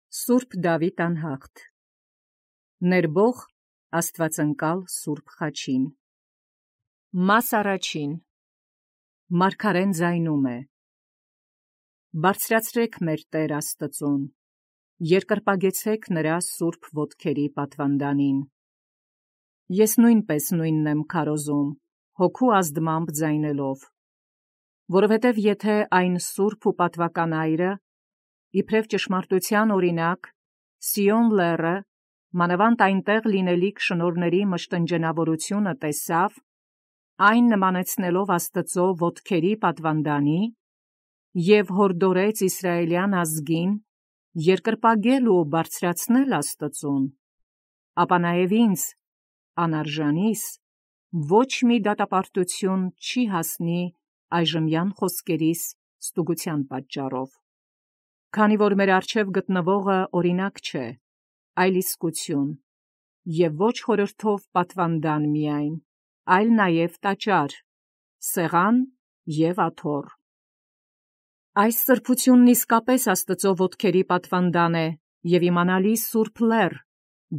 Սուրբ Դավիթ անհաղթ Ներբող Աստվածընկալ Սուրբ Խաչին Մաս առաջին Մարգարեն ձայնում է. Բարձրացրեք մեր Տեր Աստծուն, երկրպագեցեք նրա սուրբ ոտքերի պատվանդանին։ Ես նույնպես նույնն եմ քարոզում, հոգու ազդմամբ ձայնելով, որովհետև եթե այն սուրբ ու պատվական այրը, իբրև ճշմարտության օրինակ, Սիոն լեռը, մանավանդ այնտեղ լինելիք շնորհների մշտնջենավորությունը տեսավ, այն նմանեցնելով Աստծո ոտքերի պատվանդանի, և հորդորեց Իսրայելյան ազգին երկրպագել ու բարձրացնել Աստծուն, ապա նաև ինձ, անարժանիս, ոչ մի դատապարտություն չի հասնի այժմյան խոսքերիս ստուգության պատճառով, քանի որ մեր առջև գտնվողը օրինակ չէ, այլ իսկություն, և ոչ խորհրդով պատվանդան միայն, այլ նաև տաճար, սեղան և աթոռ։ Այս սրբությունն իսկապես Աստծո ոտքերի պատվանդան է և իմանալի սուրբ լեռ,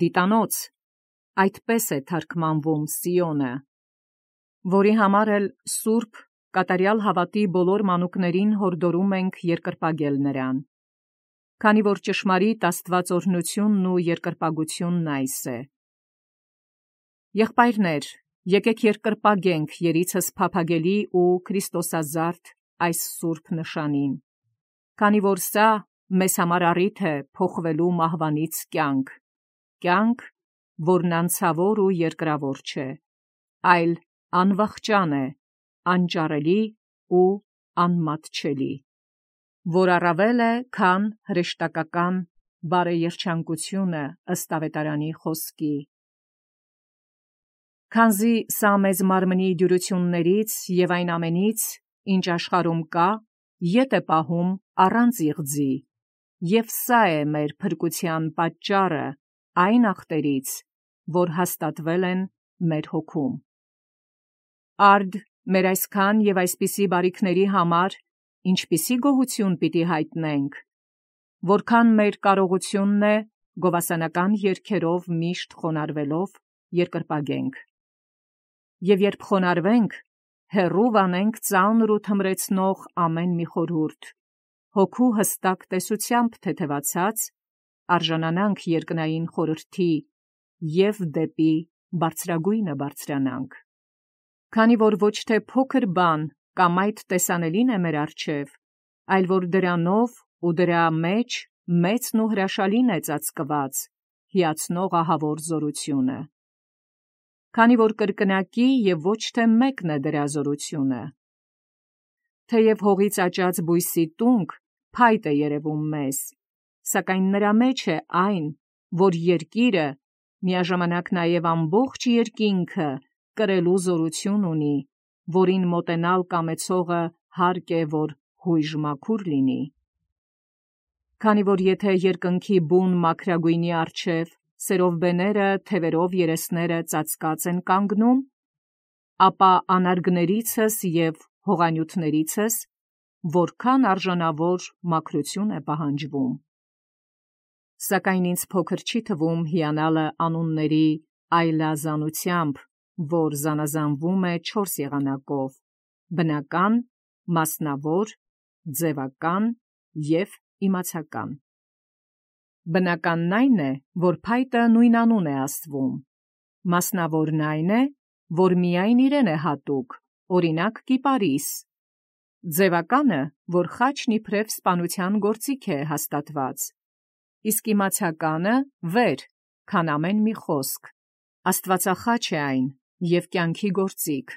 դիտանոց, այդպես է թարգմանվում Սիոնը, որի համար էլ սուրբ կատարյալ հավատի բոլոր մանուկներին հորդորում ենք երկրպագել նրան, քանի որ ճշմարիտ աստվածօրհնությունն ու երկրպագությունն այս է։ Եղբայրներ, եկեք երկրպագենք երիցս փափագելի ու քրիստոսազարդ այս սուրբ նշանին, քանի որ սա մեզ համար առիթ է փոխվելու մահվանից կյանք, կյանք, որն անցավոր ու երկրավոր չէ, այլ անվախճան է, անճարելի ու անմատչելի, որ առավել է, քան հրեշտակական բարեերջանկությունը ըստ Ավետարանի խոսքի։ Քանզի սա մեզ մարմնի դյուրություններից և այն ամենից, ինչ աշխարհում կա, ետ է պահում առանց իղձի, և սա է մեր փրկության պատճառը այն ախտերից, որ հաստատվել են մեր հոգում։ Արդ մեր այսքան և այսպիսի բարիքների համար ինչպիսի գոհություն պիտի հայտնենք, որքան մեր կարողությունն է գովասանական երգերով միշտ խոնարհվելով երկրպագենք։ Եվ երբ խոնարհվենք, հեռու վանենք ծանր ու թմրեցնող ամեն մի խորհուրդ, հոգու հստակ տեսությամբ թեթևացած, արժանանանք երկնային խորհրդի և դեպի բարձրագույնը բարձրանանք։ Քանի որ ոչ թե փոքր բան կամ այդ տեսանելին է մեր առջև, այլ որ դրանով ու դրա մեջ մեծն ու հրաշալին է ծածկված հիացնող ահավոր զորությունը։ Քանի որ կրկնակի և ոչ թե մեկն է դրա զորությունը։ Թեև հողից աճած բույսի տունկ փայտ է երևում մեզ, սակայն նրա մեջ է այն, որ երկիրը, միաժամանակ նաև ամբողջ երկինքը կրելու զորություն ունի, որին մոտենալ կամեցողը հարկ է, որ հույժ մաքուր լինի։ Քանի որ եթե երկնքի բուն մաքրագույնի առջև սերովբեները, թևերով երեսները ծածկած են կանգնում, ապա անարգներիցս և հողանյութներիցս որքան արժանավոր մաքրություն է պահանջվում։ Սակայն ինձ փոքր չի թվում հիանալը անունների այլազանությամբ, որ զանազանվում է 4 եղանակով՝ բնական, մասնավոր, ձևական և իմացական։ Բնականն այն է, որ փայտը նույն անուն է ասվում, մասնավորն այն է, որ միայն իրեն է հատուկ, օրինակ կիպարիս, ձևականը, որ խաչն իբրև սպանության գործիք է հաստատված, իսկ իմացականը վեր, քան ամեն մի խոսք, աստվածախաչ է այն և կյանքի գործիք։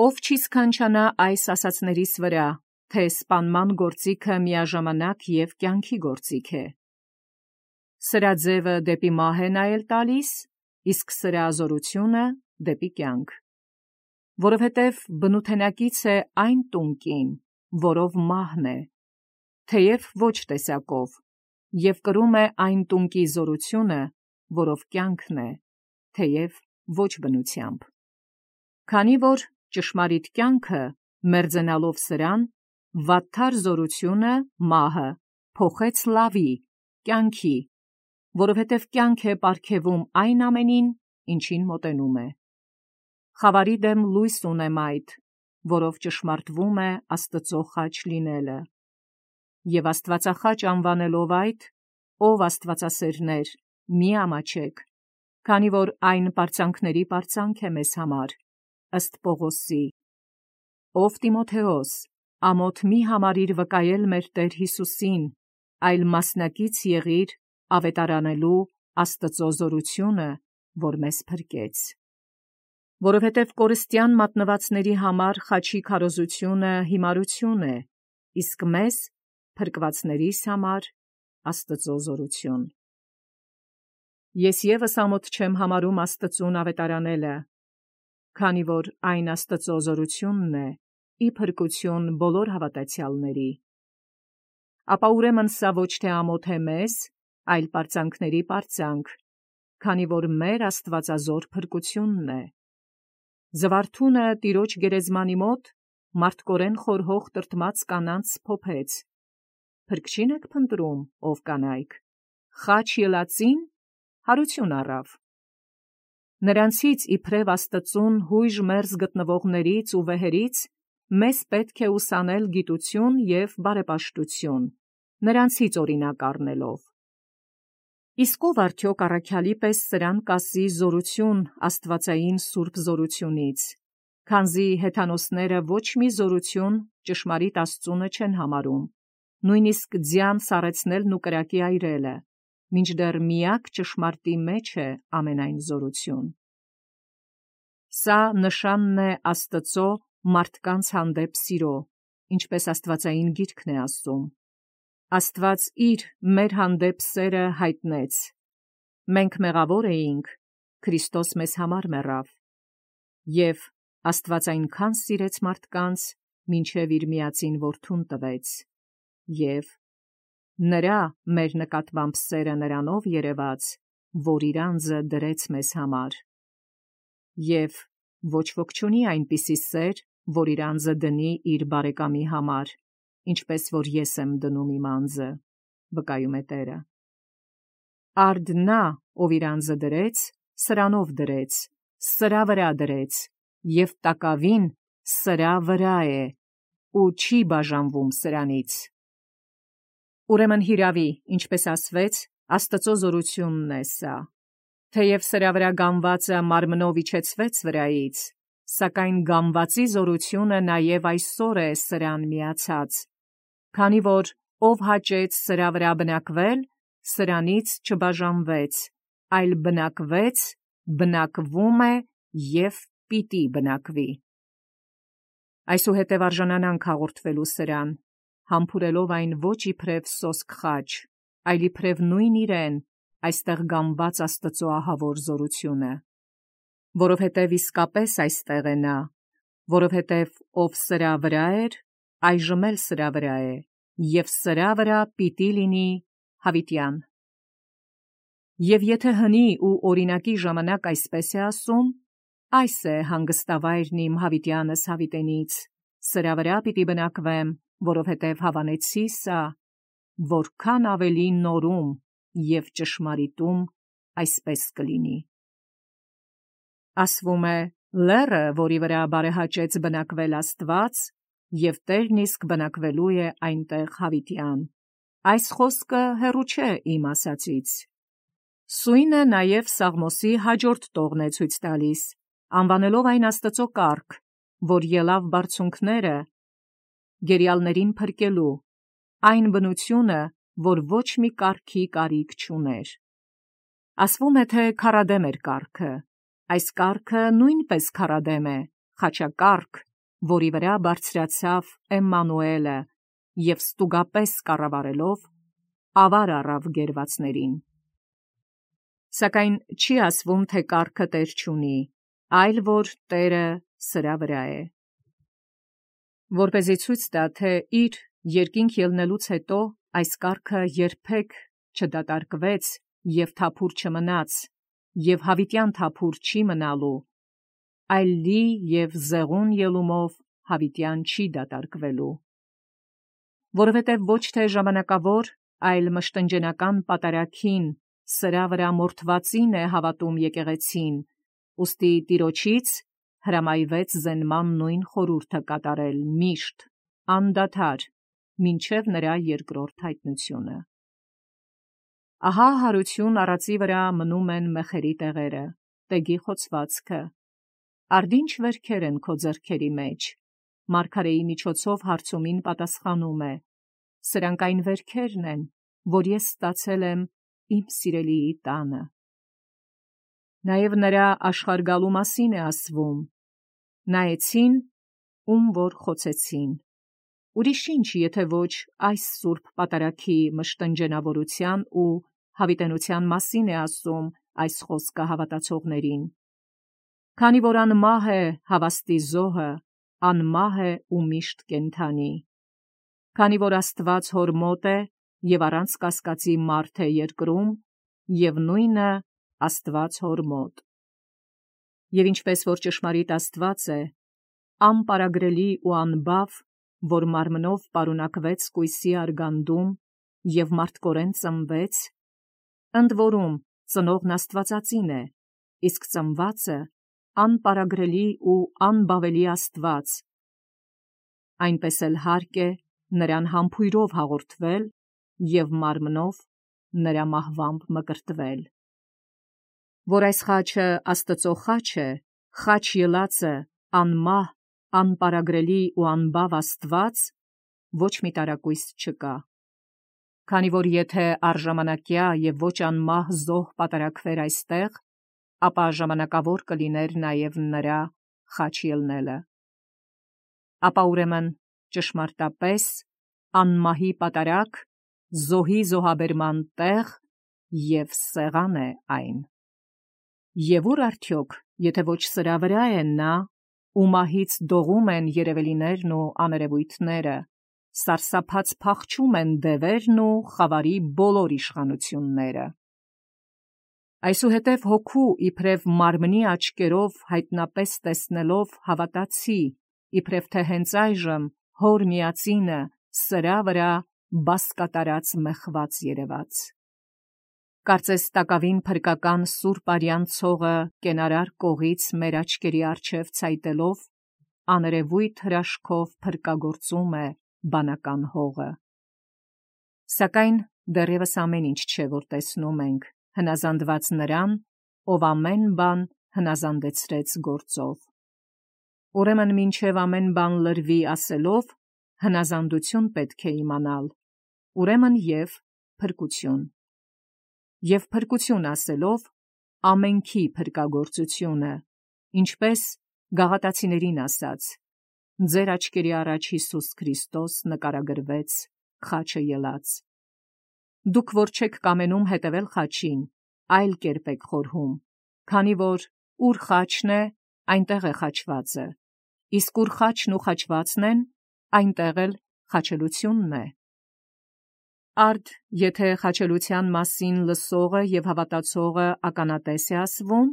Ով չի սքանչանա այս ասացներիս վրա, թե սպանման գործիքը միաժամանակ և կյանքի գործիք է։ Սրա ձևը դեպի մահ է նայել տալիս, իսկ սրա զորությունը դեպի կյանք, որովհետև բնութենակից է այն տունկին, որով մահն է, թեև ոչ տեսակով, և կրում է այն տունկի զորությունը, որով կյանքն է, թեև ոչ բնությամբ։ Քանի որ ճշմարիտ կյանքը, մերձենալով սրան, վատթար զորությունը, մահը, փոխեց լավի, կյանքի, որովհետև կյանք է պարգևում այն ամենին, ինչին մոտենում է։ Խավարի դեմ լույս ունեմ այդ, որով ճշմարտվում է Աստծո խաչ լինելը։ Եվ Աստվածախաչ անվանելով այդ, ով Աստվածասերներ, մի ամաչեք, քանի որ այն պարծանքների պարծանք է մեզ համար, ըստ Պողոսի. ով Տիմոթեոս, ամոթ մի համարիր վկայել մեր Տեր Հիսուսին, այլ մասնակից եղիր ավետարանելու Աստծո զորությունը, որ մեզ փրկեց։ Որովհետև կորստյան մատնվածների համար խաչի քարոզությունը հիմարություն է, իսկ մեզ, փրկվածներիս համար, Աստծո զորություն։ Ես ևս ամոթ չեմ համարում Աստծուն ավետարանելը, քանի որ այն Աստծո զորությունն է, ի փրկություն բոլոր հավատացյալների։ Ապա ուրեմն սա ոչ թե ամոթ է մեզ, այլ պարծանքների պարծանք, քանի որ մեր աստվածազոր փրկությունն է։ Զվարթունը տիրոջ գերեզմանի մոտ մարդկորեն խորհող տրտմած կանանց փոփեց. «Փրկչին եք փնտրում, ով կանայք, խաչ ելածին հարություն առավ»։ Նրանցից իբրև Աստծուն հույժ մերձ գտնվողներից ու վեհերից մեզ պետք է ուսանել գիտություն և բարեպաշտություն, նրանցից օրինակ առնելով։ Իսկ ով արդյոք առաքյալի պես սրան կասի զորություն աստվածային սուրբ զորությունից, քանզի հեթանոսները ոչ մի զորություն ճշմարիտ Աստծունը չեն համարում, նույնիսկ ձյան սառեցնելն ու կրակի այրելը, մինչդեռ միակ ճշմարտի մեջ է ամենայն զորություն։ Սա նշանն է Աստծո մարդկանց հանդեպ սիրո, ինչպես աստվածային գիրքն է ասում. Աստված իր մեր հանդեպ սերը հայտնեց. մենք մեղավոր էինք, Քրիստոս մեզ համար մեռավ, և Աստված այնքան սիրեց մարդկանց, մինչև իր միածին որդուն տվեց, և նրա մեր նկատմամբ սերը նրանով երևաց, որ իր անձը դրեց մեզ համար։ Եվ ոչ ոք չունի այնպիսի սեր, որ իր անձը դնի իր բարեկամի համար, ինչպես որ ես եմ դնում իմ անձը, վկայում է Տերը։ Արդ նա, ով իր անձը դրեց, սրանով դրեց, սրա վրա դրեց, և տակավին սրա վրա է, ու չի բաժանվում սրանից։ Ուրեմն հիրավի, ինչպես ասվեց, Աստծո զորությունն է սա, թեև սրա վրա գանվածը մարմնով իջեցվեց վրայից, սակայն գանվածի զորությունը նաև այսօր է սրան միացած, քանի որ ով հաճեց սրա վրա բնակվել, սրանից չբաժանվեց, այլ բնակվեց, բնակվում է և պիտի բնակվի։ Այսուհետև արժանանանք հաղորդվելու սրան, համբուրելով այն ոչ իբրև սոսկ խաչ, այլ իբրև նույն իրեն, այստեղ գանված Աստծո ահավոր զորությունը։ Որովհետև իսկապես այստեղ է նա, որովհետև ով սրա վրա էր, այժմ էլ սրա վրա է, և սրա վրա պիտի լինի հավիտյան։ Եվ եթե հնի ու օրինակի ժամանակ այսպես է ասում, այս է հանգստավայրն իմ հավիտյանս հավիտենից, սրա վրա պիտի բնակվեմ, որովհետև հավանեցի սա, որքան ավելի նորում և ճշմարիտում այսպես կլինի։ Ասվում է, լեռը, որի վրա բարեհաճեց բնակվել Աստված, և Տերն իսկ բնակվելու է այնտեղ հավիտյան։ Այս խոսքը հեռու չէ իմ ասածից։ Սույնը նաև Սաղմոսի հաջորդ տողն է ցույց տալիս, անվանելով այն Աստծո կարգ, որ ելավ բարձունքները գերյալներին փրկելու, այն բնությունը, որ ոչ մի կարգի կարիք չուներ։ Ասվում է, թե քարադեմ էր կարգը, այս կարգը նույնպես քարադեմ է, խաչակարգ, որի վրա բարձրացավ Էմմանուելը և ստուգապես կառավարելով ավար առավ գերվածներին։ Սակայն չի ասվում, թե կարգը տեր չունի, այլ որ Տերը սրա վրա է։ Որպեսզի ցույց տա, թե իր երկինք ելնելուց հետո այս կարգը երբեք չդատարկվեց և թափուր չմնաց, և հավիտյան թափուր չի մնալու, այլ լի և զեղուն ելումով հավիտյան չի դատարկվելու։ Որովհետև ոչ թե ժամանակավոր, այլ մշտնջենական պատարագին, սրա վրա մորթվածին է հավատում եկեղեցին, ուստի Տիրոջից հրամայվեց զենման նույն խորհուրդը կատարել միշտ, անդադար, մինչև նրա երկրորդ հայտնությունը։ Ահա հարություն առածի վրա մնում են մեխերի տեղերը, տեգի խոցվածքը, արդինչ վերքեր են քո ձեռքերի մեջ, մարգարեի միջոցով հարցումին պատասխանում է, սրանք այն վերքերն են, որ ես ստացել եմ իմ սիրելիի տանը։ Նաև նրա աշխարհ գալու մասին է ասվում. նայեցին, ում որ խոցեցին։ Ուրիշ ինչ, եթե ոչ այս սուրբ պատարագի մշտնջենավորության ու հավիտենության մասին է ասում այս խոսքը հավատացողներին։ Քանի որ անմահ է հավաստի զոհը, անմահ է ու միշտ կենդանի։ Քանի որ Աստված հոր մոտ է և առանց կասկածի մարդ է երկրում, և նույնը Աստված հոր մոտ։ Եվ ինչպես որ ճշմարիտ Աստված է, անպարագրելի ու անբավ, որ մարմնով պարունակվեց կույսի արգանդում և մարդկորեն ծնվեց, ընդ որում ծնողն Աստվածածին է, իսկ ծնվածը անպարագրելի ու անբավելի Աստված, այնպես էլ հարկ է նրան համբույրով հաղորդվել և մարմնով նրա մահվամբ մկրտվել։ Որ այս խաչը Աստծո խաչ է, խաչ ելածը, անմահ, անպարագրելի ու անբավ Աստված, ոչ մի տարակույս չկա։ Քանի որ եթե առժամանակյա և ոչ անմահ զոհ պատարագվեր այստեղ, ապա ժամանակավոր կլիներ նաև նրա խաչ ելնելը։ Ապա ուրեմն ճշմարտապես անմահի պատարագ, զոհի զոհաբերման տեղ և սեղան է այն։ Եվ ուր արդյոք, եթե ոչ սրա վրա է նա, ու մահից դողում են երևելիներն ու աներևույթները, սարսափած փախչում են դևերն ու խավարի բոլոր իշխանությունները։ Այսուհետև հոգու իբրև մարմնի աչքերով հայտնապես տեսնելով հավատացի, իբրև թե հենց այժմ հոր միածինը սրա վրա բասկատարած մեխված երևաց։ Կարծես տակավին փրկական սուրբ արյան ցողը կենարար կողից մեր աչքերի առջև ցայտելով, աներևույթ հրաշքով փրկագործում է բանական հողը։ Սակայն դեռևս ամեն ինչ չէ, որ տեսնում ենք, հնազանդված նրան, ով ամեն բան հնազանդեցրեց գործով։ Ուրեմն մինչև ամեն բան լրվի ասելով, հնազանդություն պետք է իմանալ, ուրեմն և փրկություն։ Եվ փրկություն ասելով, ամենքի փրկագործությունը, ինչպես Գաղատացիներին ասաց. ձեր աչքերի առաջ Հիսուս Քրիստոս նկարագրվեց խաչը ելած։ Դուք որ չեք կամենում հետևել խաչին, այլ կերպ եք խորհում, քանի որ ուր խաչն է, այնտեղ է խաչվածը, իսկ ուր խաչն ու խաչվածն են, այնտեղ էլ խաչելությունն է։ Արդ եթե խաչելության մասին լսողը և հավատացողը ականատես է ասվում,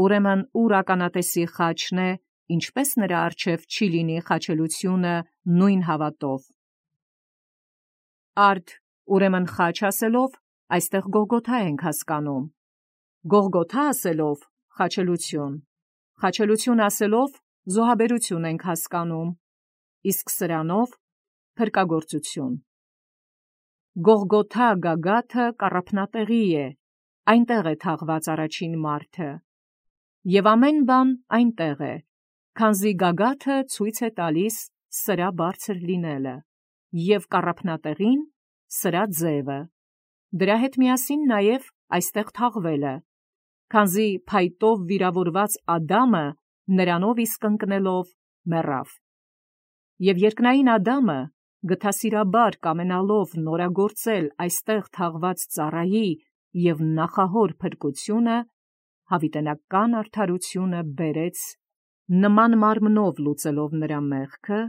ուրեմն ուր ականատեսի խաչն է, ինչպես նրա առջև չի լինի խաչելությունը նույն հավատով։ Արդ ուրեմն խաչ ասելով, այստեղ Գողգոթա ենք հասկանում, Գողգոթա ասելով խաչելություն, խաչելություն ասելով զոհաբերություն ենք հասկանում, իսկ սրանով փրկագործություն։ Գողգոթա գագաթը կառափնատեղի է, այնտեղ է թաղված առաջին մարդը, և ամեն բան այնտեղ է, քանզի գագաթը ցույց է տալիս սրա բարձր լինելը, և կառափնատեղին սրա ձևը, դրա հետ միասին նաև այստեղ թաղվելը, քանզի փայտով վիրավորված Ադամը նրանով իսկ ընկնելով մեռավ։ Եվ երկնային Ադամը գթասիրաբար կամենալով նորագործել այստեղ թաղված ծառայի և նախահոր փրկությունը, հավիտենական արդարությունը բերեց նման մարմնով լուծելով նրա մեղքը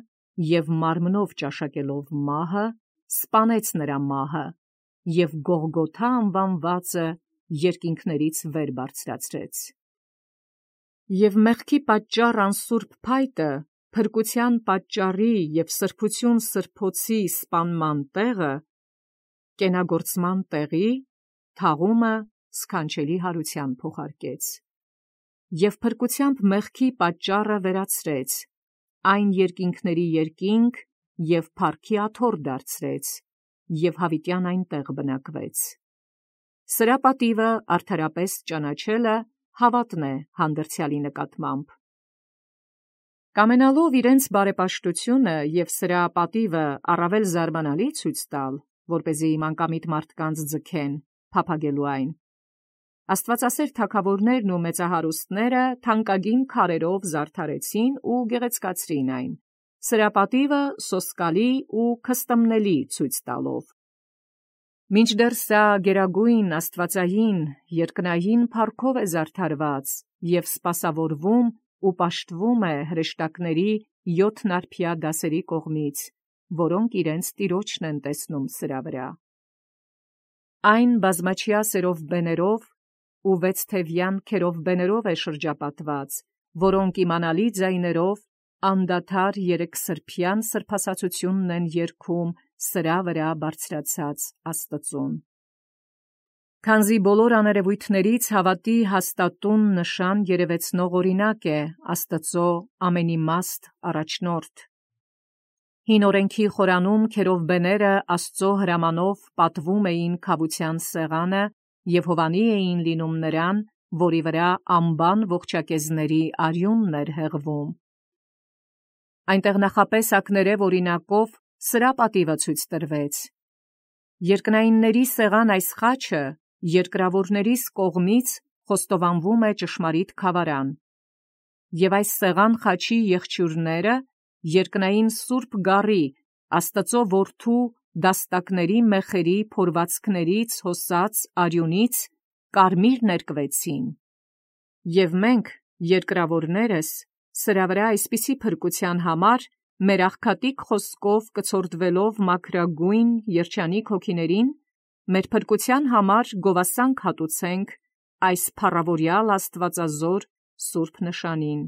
և մարմնով ճաշակելով մահը, սպանեց նրա մահը և Գողգոթա անվանվածը երկինքներից վեր բարձրացրեց։ Եվ մեղքի պատճառ անսուրբ փայտը, փրկության պատճառի և սրբություն սրբոցի սպանման տեղը, կենագործման տեղի թաղումը սքանչելի հարության փոխարկեց, և փրկությամբ մեղքի պատճառը վերացրեց, այն երկինքների երկինք և փառքի աթոռ դարձրեց, և հավիտյան այնտեղ բնակվեց։ Սրա պատիվը արդարապես ճանաչելը հավատն է հանդերձյալի նկատմամբ։ Կամենալով իրենց բարեպաշտությունը և սրա պատիվը առավել զարմանալի ցույց տալ, որպեսզի մանկամիտ մարդկանց ձգեն փափագելու այն, աստվածասեր թագավորներն ու մեծահարուստները թանկագին քարերով զարդարեցին ու գեղեցկացրին այն, սրա պատիվը սոսկալի ու քստմնելի ցույց տալով։ Մինչդեռ սա գերագույն աստվածային երկնային փառքով է զարդարված և սպասավորվում ու պաշտվում է հրեշտակների 7 դասերի կողմից, որոնք իրենց Տիրոջն են տեսնում սրա վրա։ Այն բազմաչյա սերովբեներով ու 6 թևյան քերովբեներով է շրջապատված, որոնք իմանալի ձայներով անդադար երեքսրբյան սրբասացությունն են երգում սրա վրա բարձրացած Աստծուն։ Քանզի բոլոր աներևույթներից հավատի հաստատուն նշան երևեցնող օրինակ է Աստծո ամենիմաստ առաջնորդ։ Հին օրենքի խորանում քերովբեները Աստծո հրամանով պատվում էին քավության սեղանը և հովանի էին լինում նրան, որի վրա անբան ողջակեզների արյունն էր հեղվում։ Այնտեղ նախապես ակներև օրինակով սրա պատիվը ցույց տրվեց։ Երկնայինների սեղան այս խաչը երկրավորներիս կողմից խոստովանվում է ճշմարիտ քավարան, և այս սեղան խաչի եղջյուրները երկնային սուրբ գառի Աստծո որդու դաստակների մեխերի փորվածքներից հոսած արյունից կարմիր ներկվեցին, և մենք երկրավորներս սրա վրա այսպիսի փրկության համար մեր աղքատիկ խոսքով կցորդվելով մաքրագույն երջանիկ հոգիներին, մեր փրկության համար գովասանք հատուցենք այս փառավորյալ աստվածազոր սուրբ նշանին։